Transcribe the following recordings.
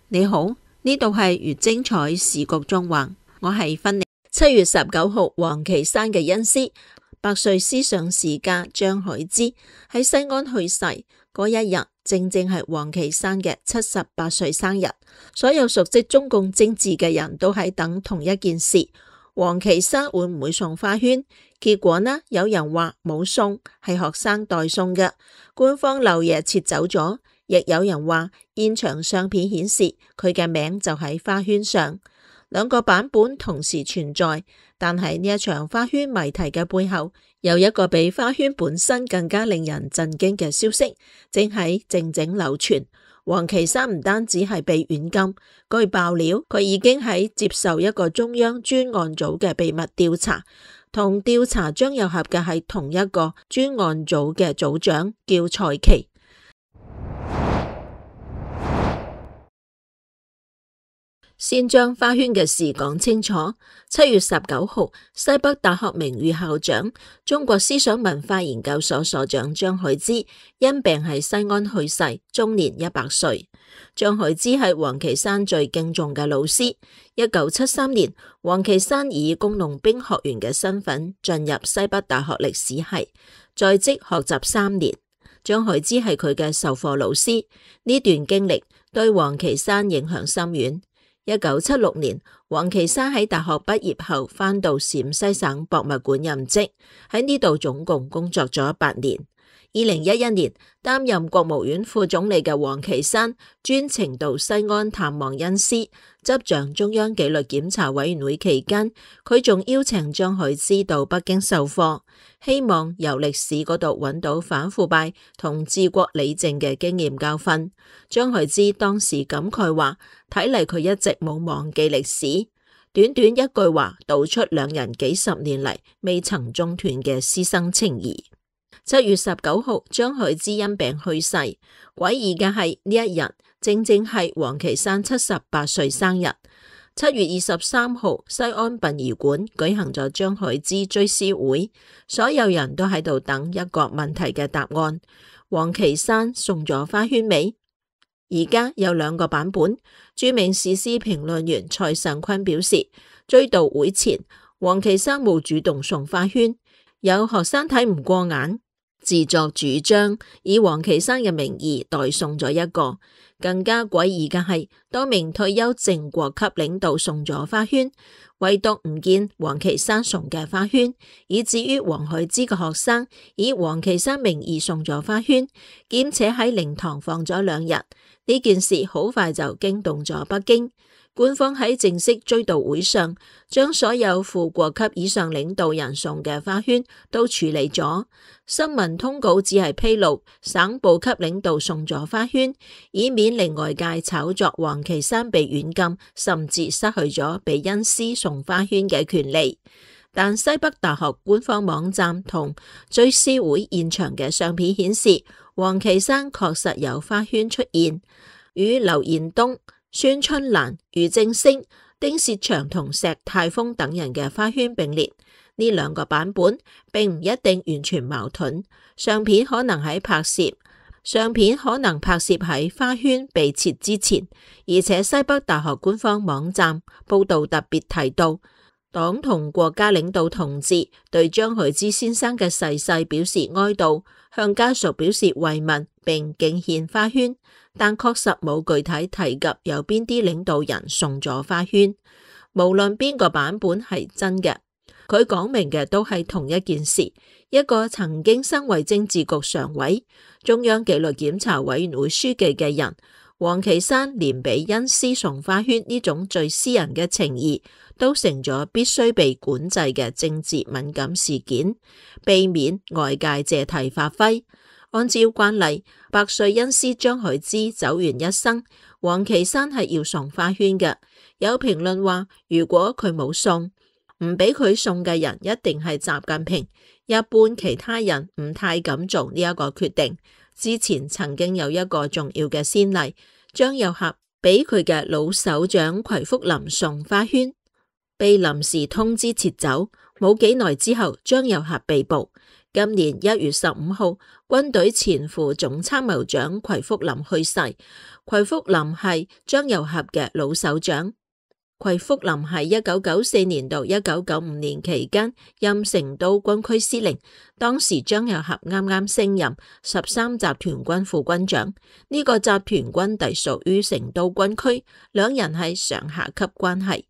你好，呢度係越精彩時局縱橫，我係芬妮。7月19號，王岐山嘅恩師、百歲思想史家張海之喺西安去世嗰一日，正正係王岐山嘅78歲生日。所有熟悉中共政治嘅人都喺等同一件事：王岐山會唔會送花圈？結果呢，有人話冇送，係學生代送嘅，官方漏夜撤走咗。亦有人話現場相片顯示佢嘅名就喺花圈上。兩個版本同時存在，但係呢一場花圈謎題嘅背後，有一個比花圈本身更加令人震驚嘅消息，正喺靜靜流傳。王岐山唔單止係被軟禁，據爆料，佢已經喺接受一個中央專案組嘅秘密調查，同調查張又俠嘅係同一個專案組嘅組長，叫蔡奇。先將花圈嘅事講清楚。7月19號，西北大學名譽校長、中國思想文化研究所所長張海之因病喺西安去世，終年100歲。張海之係王岐山最敬重嘅老師。1973年，王岐山以工農兵學員嘅身份進入西北大學歷史系，在職學習3年。張海之係佢嘅授課老師，呢段經歷對王岐山影響深遠。1976年，王岐山喺大學畢業後返到陝西省博物館任職，喺呢度總共工作咗8年。2011年，擔任國務院副總理嘅王岐山專程到西安探望恩師，執掌中央紀律檢查委員會期間，佢仲邀請張海之到北京授課，希望由歷史嗰度揾到反腐敗同治國理政嘅經驗教訓。張海之當時感慨話：睇嚟佢一直冇忘記歷史。短短一句話，道出兩人幾十年嚟未曾中斷嘅師生情誼。7月19號，張海之因病去世。詭異嘅係呢一日正正係王岐山78歲生日。7月23號，西安殯儀館舉行咗張海之追思會，所有人都喺度等一個問題嘅答案：王岐山送咗花圈未？而家有2個版本。著名時事評論員蔡尚坤表示，追悼會前，王岐山冇主動送花圈，有學生睇唔過眼，自作主張以王岐山嘅名義代送咗一個。更加詭異嘅係，多名退休正國級領導送咗花圈，唯獨唔見王岐山送嘅花圈，以至於王海之嘅學生以王岐山名義送咗花圈，兼且喺靈堂放咗2日。呢件事好快就驚動咗北京。官方喺正式追悼會上，將所有副國級以上領導人送嘅花圈都處理咗。新聞通稿只係披露省部級領導送咗花圈，以免令外界炒作王岐山被軟禁，甚至失去咗被恩師送花圈嘅權利。但西北大學官方網站同追思會現場嘅相片顯示，王岐山確實有花圈出現，與劉延東、孫春蘭、俞正聲、丁薛祥同石泰峰等人嘅花圈並列。呢2個版本並唔一定完全矛盾，相片可能拍攝喺花圈被撤之前，而且西北大學官方網站報道特別提到，黨同國家領導同志對張海之先生嘅逝世表示哀悼，向家屬表示慰問並敬獻花圈，但確實冇具體提及有邊啲領導人送咗花圈。無論邊個版本係真嘅，佢講明嘅都係同一件事：一個曾經身為政治局常委、中央紀律檢查委員會書記嘅人，王岐山連俾恩師送花圈呢種最私人嘅情誼，都成咗必須被管制嘅政治敏感事件，避免外界借題發揮。按照慣例，百歲恩師張海之走完一生，王岐山係要送花圈嘅。有評論話，如果佢冇送，唔俾佢送嘅人一定係習近平。一般其他人唔太敢做呢一個決定。之前曾經有一個重要嘅先例，張又俠俾佢嘅老首長奎福林送花圈，被臨時通知撤走。冇幾耐之後，張又俠被捕。今年1月15號，軍隊前副總參謀長奎福林去世。奎福林係張又俠嘅老首長。奎福林喺1994年到1995年期間任成都軍區司令，當時張又俠啱啱升任13集團軍副軍長，呢個集團軍隸屬於成都軍區，兩人係上下級關係。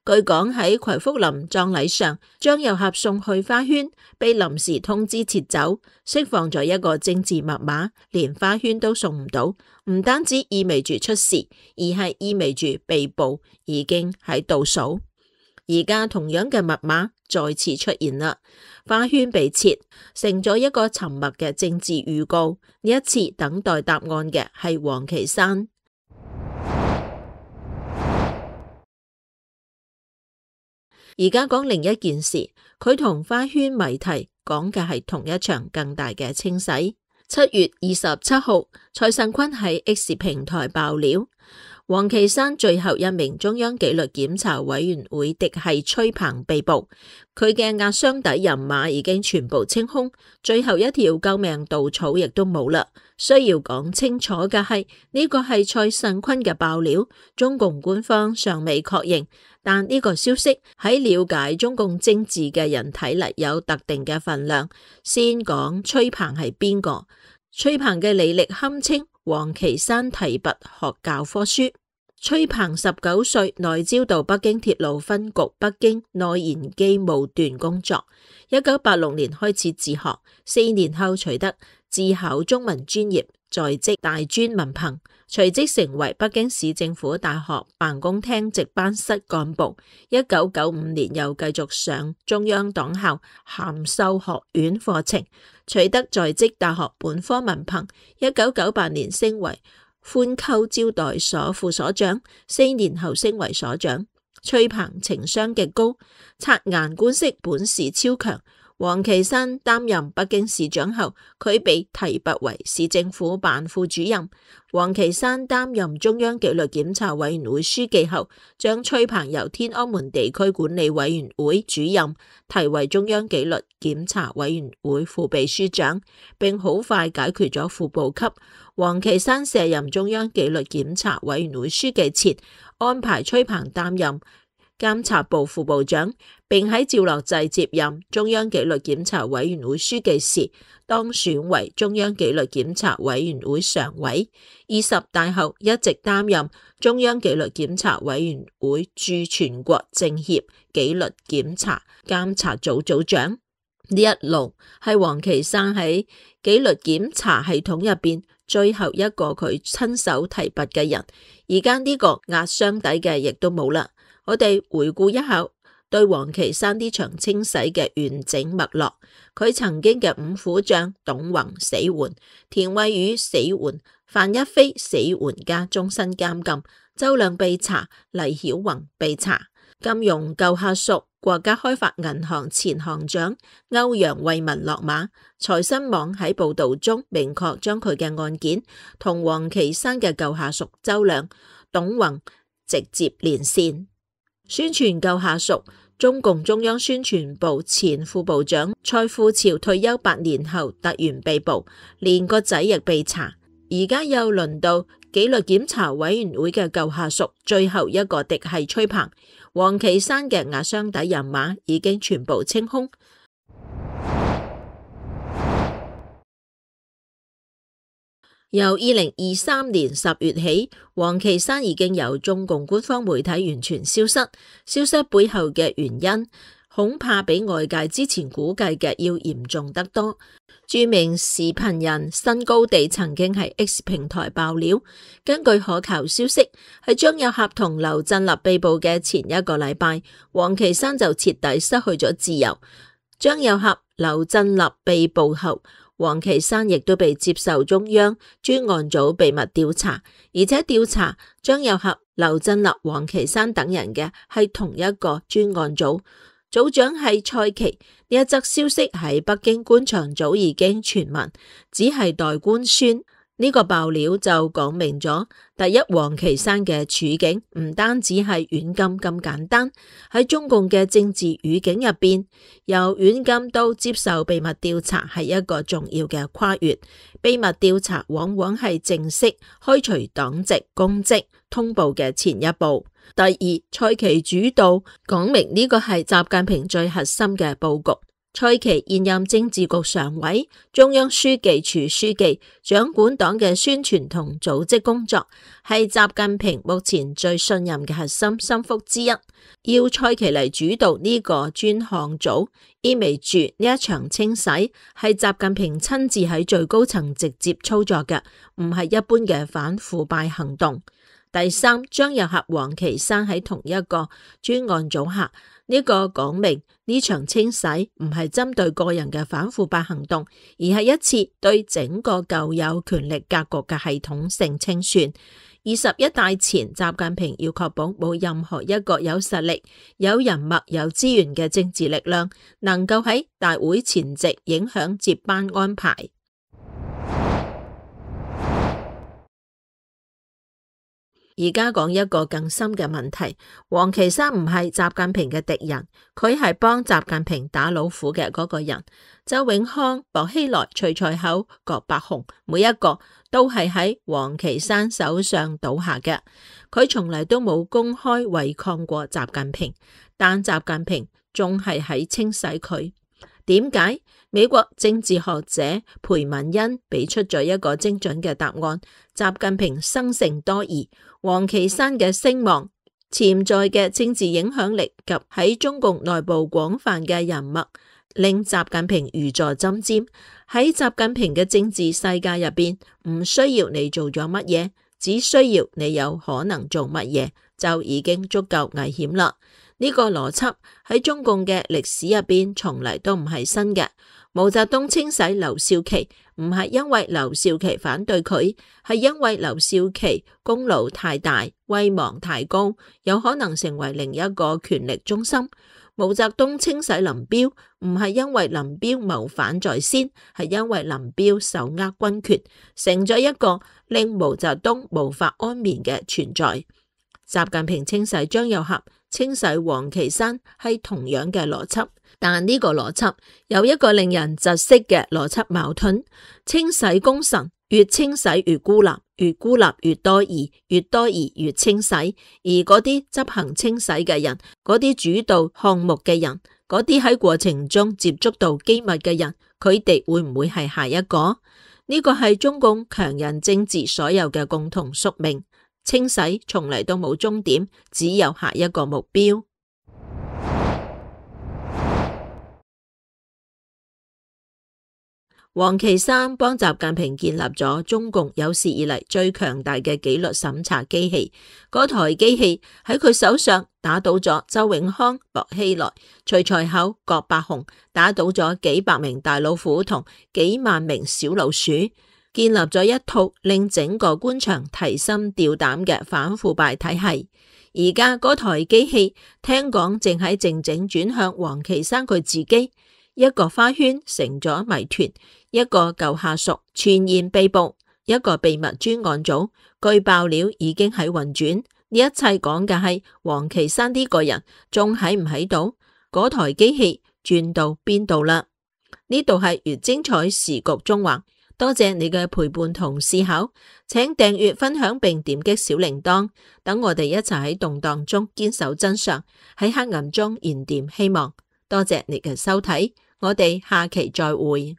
據講喺奎福林葬禮上，張又俠送去花圈，被臨時通知撤走，釋放咗一個政治密碼，連花圈都送唔到，唔單止意味住出事，而係意味住被捕已經喺倒數。而家同樣嘅密碼再次出現啦，花圈被撤，成咗一個沉默嘅政治預告。呢一次等待答案嘅係王岐山。而家講另一件事，佢同花圈謎題講嘅係同一場更大嘅清洗。7月27號，蔡尚坤喺 X 平台爆料，王岐山最後一名中央紀律檢查委員會嫡系崔鵬被捕，佢嘅壓箱底人馬已經全部清空，最後一條救命稻草亦都冇啦。需要講清楚嘅係，呢個係蔡尚坤嘅爆料，中共官方尚未確認，但呢個消息喺了解中共政治嘅人睇嚟有特定嘅份量。先講崔鵬係邊個？崔鵬嘅履歷堪稱王岐山提拔學教科書。崔鵬19歲內招到北京鐵路分局北京內燃機務段工作，1986年開始自學，4年後取得自考中文專業在職大專文憑，隨即成為北京市政府大學辦公廳值班室幹部。1995年又繼續上中央黨校函授學院課程，取得在職大學本科文憑。1998年升為寬溝招待所副所長，4年後升為所長。崔鵬情商極高，察言觀色本事超強。王岐山擔任北京市長後，佢被提拔為市政府辦副主任。王岐山擔任中央紀律檢查委員會書記後，將崔鵬由天安門地區管理委員會主任提為中央紀律檢查委員會副秘書長，並好快解決咗副部級。王岐山卸任中央紀律檢查委員會書記前，安排崔鵬擔任監察部副部長，並喺趙樂際接任中央紀律檢查委員會書記時，當選為中央紀律檢查委員會常委。20大後一直擔任中央紀律檢查委員會駐全國政協紀律檢查監察組組長。呢一路係王岐山喺紀律檢查系統入邊最後一個佢親手提拔嘅人。而家呢個壓箱底嘅亦都冇啦。我哋回顧一下對王岐山呢場清洗嘅完整脈絡。佢曾經嘅五虎將董宏死緩，田惠宇死緩，范一飛死緩加終身監禁，周亮被查，黎曉宏被查。金融舊下屬國家開發銀行前行長歐陽慧文落馬。財新網喺報道中明確將佢嘅案件同王岐山嘅舊下屬周亮、董宏直接連線。宣傳舊下屬，中共中央宣傳部前副部長蔡富潮退休8年後突然被捕，連個仔亦被查。而家又輪到紀律檢查委員會嘅舊下屬，最後一個嫡系崔鵬。王岐山嘅壓箱底人馬已經全部清空。由2023年10月起，王岐山已經由中共官方媒體完全消失。消失背後嘅原因，恐怕比外界之前估計嘅要嚴重得多。著名視頻人新高地曾經喺 X 平台爆料，根據可靠消息，喺張又俠同劉振立被捕嘅前一個禮拜，王岐山就徹底失去咗自由。張又俠、劉振立被捕後，王岐山亦都被接受中央專案組秘密調查，而且調查張又俠、劉振立、王岐山等人嘅係同一個專案組，組長係蔡奇。呢一則消息喺北京官場早已經傳聞，只係待官宣。呢個爆料就講明咗，第一，王岐山嘅處境唔單止係軟禁咁簡單，喺中共嘅政治語境入邊，由軟禁到接受秘密調查係一個重要嘅跨越。秘密調查往往係正式開除黨籍公職通報嘅前一步。第二，蔡奇主導講明呢個係習近平最核心嘅佈局。蔡奇現任政治局常委、中央書記處書記，掌管黨嘅宣傳同組織工作，係習近平目前最信任嘅核心心腹之一。要蔡奇嚟主導呢個專項組，意味住呢一場清洗係習近平親自喺最高層直接操作嘅，唔係一般嘅反腐敗行動。第三，將糅合王岐山喺同一個專案組下。呢個講明呢場清洗唔係針對個人嘅反腐敗行動，而係一次對整個舊有權力格局嘅系統性清算。21大前，習近平要確保冇任何一個有實力、有人脈、有資源嘅政治力量能夠喺大會前夕影響接班安排。而家講一個更深嘅問題，王岐山唔係習近平嘅敵人，佢係幫習近平打老虎嘅嗰個人。周永康、薄熙來、徐才厚、葛伯洪，每一個都係喺王岐山手上倒下嘅。佢從嚟都冇公開違抗過習近平，但習近平仲係喺清洗佢。點解？美國政治學者裴文恩俾出咗一個精準嘅答案：習近平生性多疑，王岐山嘅聲望、潛在嘅政治影響力及喺中共內部廣泛嘅人脈，令習近平如坐針尖。喺習近平嘅政治世界入邊，唔需要你做咗乜嘢，只需要你有可能做乜嘢，就已經足夠危險啦。呢個邏輯喺中共嘅歷史入邊從嚟都唔係新嘅。毛澤東清洗劉少奇唔係因為劉少奇反對佢，係因為劉少奇功勞太大、威望太高，有可能成為另一個權力中心。毛澤東清洗林彪唔係因為林彪謀反在先，係因為林彪手握軍權，成咗一個令毛澤東無法安眠嘅存在。習近平清洗張又俠、清洗王岐山係同樣嘅邏輯，但呢個邏輯有一個令人窒息嘅邏輯矛盾：清洗功臣越清洗越孤立，越孤立越多疑，越多疑越清洗。而嗰啲執行清洗嘅人，嗰啲主導項目嘅人，嗰啲喺過程中接觸到機密嘅人，佢哋會唔會係下一個？呢個係中共強人政治所有嘅共同宿命。清洗從嚟都冇終點，只有下一個目標。王岐山幫習近平建立咗中共有史以嚟最強大嘅紀律審查機器，嗰台機器喺佢手上打倒咗周永康、薄熙來、徐才厚、葛伯洪，打倒咗幾百名大老虎同幾萬名小老鼠。建立咗一套令整個官場提心吊膽嘅反腐敗體系。而家嗰台機器聽講正喺靜靜轉向王岐山佢自己。一個花圈成咗謎團，一個舊下屬傳言被捕，一個秘密專案組據爆料已經喺運轉。呢一切講嘅係王岐山呢個人仲喺唔喺度？嗰台機器轉到邊度啦？呢度係越精彩時局中環。多謝你嘅陪伴同思考，請訂閱、分享並點擊小鈴鐺，等我哋一齊喺動盪中堅守真相，喺黑暗中燃點希望。多謝你嘅收睇，我哋下期再會。